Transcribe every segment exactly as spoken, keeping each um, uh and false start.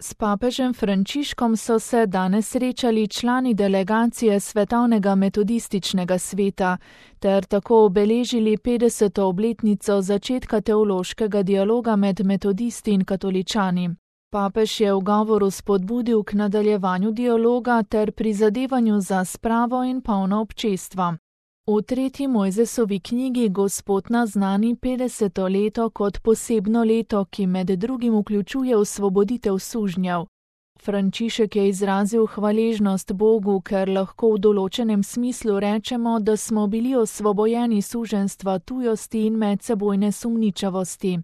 S papežem Frančiškom so se danes srečali člani delegacije Svetovnega metodističnega sveta ter tako obeležili petdeseto obletnico začetka teološkega dialoga med metodisti in katoličani. Papež je v govoru spodbudil k nadaljevanju dialoga ter prizadevanju za spravo in polno občestva. V tretji Mojzesovi knjigi Gospod naznani petdeseto leto kot posebno leto, ki med drugim vključuje osvoboditev sužnjev. Frančišek je izrazil hvaležnost Bogu, ker lahko v določenem smislu rečemo, da smo bili osvobojeni suženjstva tujosti in medsebojne sumničavosti.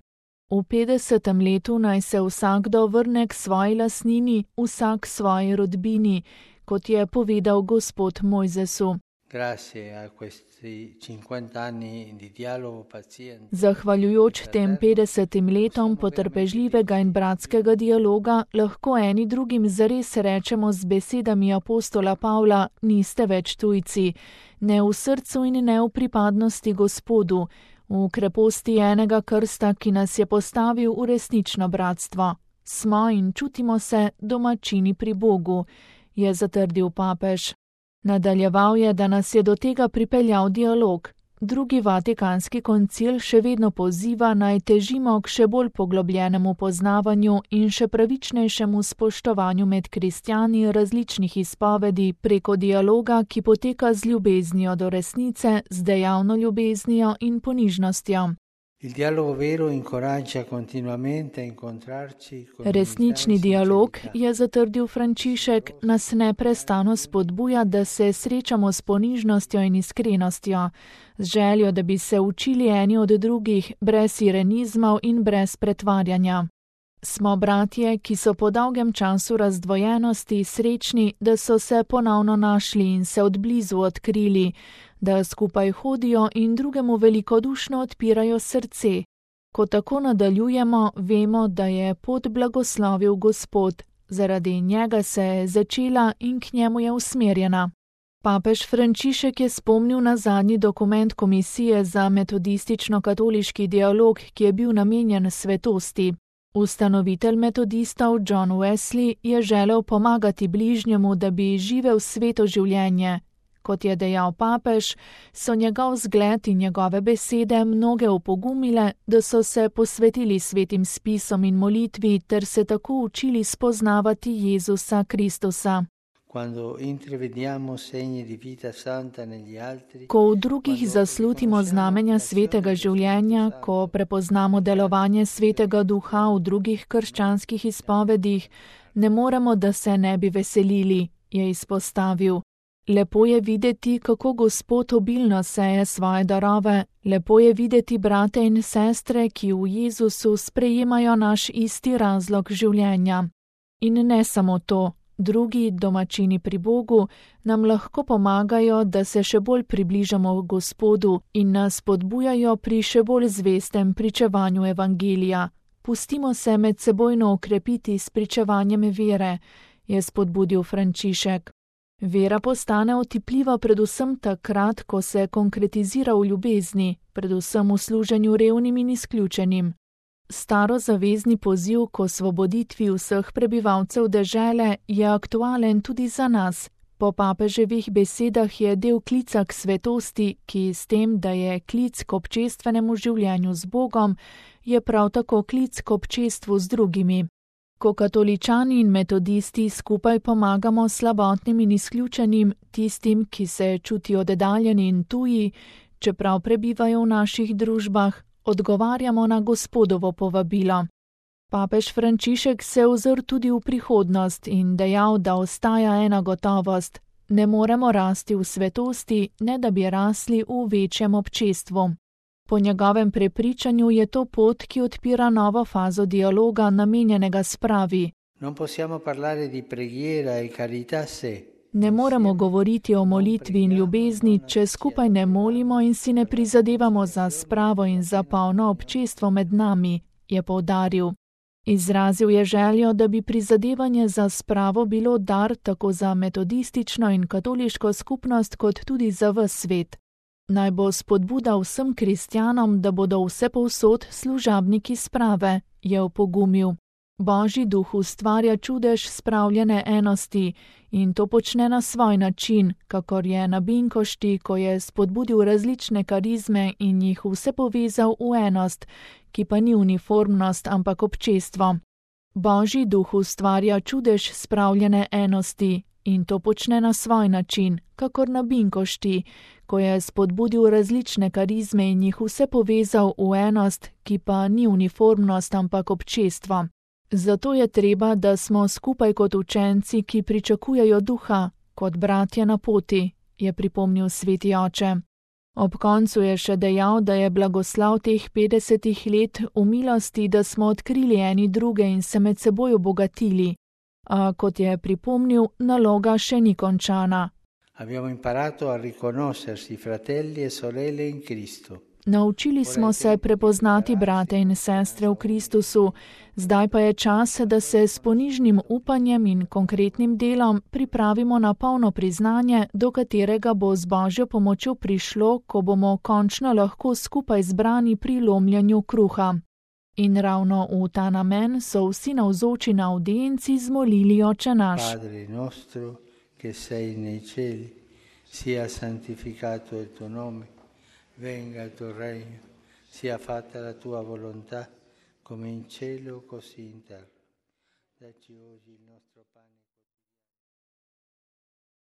V petdesetem letu naj se vsakdo vrne k svoji lastnini, vsak svoji rodbini, kot je povedal Gospod Mojzesu. Zahvaljujoč tem petdesetim letom potrpežljivega in bratskega dialoga, lahko eni drugim zares rečemo z besedami apostola Pavla: niste več tujci, ne v srcu in ne v pripadnosti Gospodu, v kreposti enega krsta, ki nas je postavil v resnično bratstvo. Smo in čutimo se domačini pri Bogu, je zatrdil papež. Nadaljeval je, da nas je do tega pripeljal dialog. Drugi vatikanski koncil še vedno poziva, naj težimo k še bolj poglobljenemu poznavanju in še pravičnejšemu spoštovanju med kristjani različnih izpovedi preko dialoga, ki poteka z ljubeznijo do resnice, z dejavno ljubeznijo in ponižnostjo. Resnični dialog, je zatrdil Frančišek, nas neprestano spodbuja, da se srečamo s ponižnostjo in iskrenostjo, z željo, da bi se učili eni od drugih, brez irenizmov in brez pretvarjanja. Smo bratje, ki so po dolgem času razdvojenosti srečni, da so se ponovno našli in se odblizu odkrili, da skupaj hodijo in drugemu velikodušno odpirajo srce. Ko tako nadaljujemo, vemo, da je pot blagoslovil Gospod, zaradi njega se je začela in k njemu je usmerjena. Papež Frančišek je spomnil na zadnji dokument Komisije za metodistično-katoliški dialog, ki je bil namenjen svetosti. Ustanovitelj metodistov John Wesley je želel pomagati bližnjemu, da bi živel sveto življenje. Kot je dejal papež, so njegov zgled in njegove besede mnoge opogumile, da so se posvetili svetim spisom in molitvi ter se tako učili spoznavati Jezusa Kristusa. Ko v drugih zaslutimo znamenja svetega življenja, ko prepoznamo delovanje svetega duha v drugih krščanskih izpovedih, ne moremo, da se ne bi veselili, je izpostavil. Lepo je videti, kako Gospod obilno seje svoje darove, lepo je videti brate in sestre, ki v Jezusu sprejemajo naš isti razlog življenja. In ne samo to, drugi domačini pri Bogu nam lahko pomagajo, da se še bolj približamo Gospodu in nas podbujajo pri še bolj zvestem pričevanju evangelija. Pustimo se medsebojno okrepiti s pričevanjem vere, je spodbudil Frančišek. Vera postane otipljiva predvsem takrat, ko se konkretizira v ljubezni, predvsem v služenju revnim in izključenim. Starozavezni poziv k osvoboditvi vseh prebivalcev dežele je aktualen tudi za nas. Po papeževih besedah je del klica k svetosti, ki s tem, da je klic k občestvenemu življenju z Bogom, je prav tako klic k občestvu z drugimi. Ko katoličani in metodisti skupaj pomagamo slabotnim in izključenim, tistim, ki se čutijo oddaljeni in tuji, čeprav prebivajo v naših družbah, odgovarjamo na Gospodovo povabilo. Papež Frančišek se ozr tudi v prihodnost in dejal, da ostaja ena gotovost: ne moremo rasti v svetosti, ne da bi rasli v večjem občestvu. Po njegovem prepričanju je to pot, ki odpira novo fazo dialoga, namenjenega spravi. Ne moremo govoriti o molitvi in ljubezni, če skupaj ne molimo in si ne prizadevamo za spravo in za polno občestvo med nami, je poudaril. Izrazil je željo, da bi prizadevanje za spravo bilo dar tako za metodistično in katoliško skupnost, kot tudi za ves svet. Naj bo spodbuda vsem kristjanom, da bodo vsepovsod služabniki sprave, je opogumil. Božji duh ustvarja čudež spravljene enosti in to počne na svoj način, kakor je na Binkošti, ko je spodbudil različne karizme in jih vse povezal v enost, ki pa ni uniformnost, ampak občestvo. Božji duh ustvarja čudež spravljene enosti in to počne na svoj način, kakor na Binkošti, ko je spodbudil različne karizme in jih vse povezal v enost, ki pa ni uniformnost, ampak občestvo. Zato je treba, da smo skupaj kot učenci, ki pričakujejo duha, kot bratje na poti, je pripomnil sveti oče. Ob koncu je še dejal, da je blagoslav teh petdesetih let v milosti, da smo odkrili eni druge in se med seboj obogatili. A kot je pripomnil, naloga še ni končana. Abbiamo imparato a riconoscersi fratelli e sorelle in Cristo. Naučili smo se prepoznati brate in sestre v Kristusu, zdaj pa je čas, da se s ponižnim upanjem in konkretnim delom pripravimo na polno priznanje, do katerega bo z Božjo pomočjo prišlo, ko bomo končno lahko skupaj zbrani pri lomljenju kruha. In ravno v ta namen so vsi navzoči na avdienci zmolili Oče naš. Padre nostro, che sei nei cieli, sia santificato il tuo nome. Venga il tuo regno, sia fatta la tua volontà, come in cielo così in terra. Dacci oggi il nostro pane.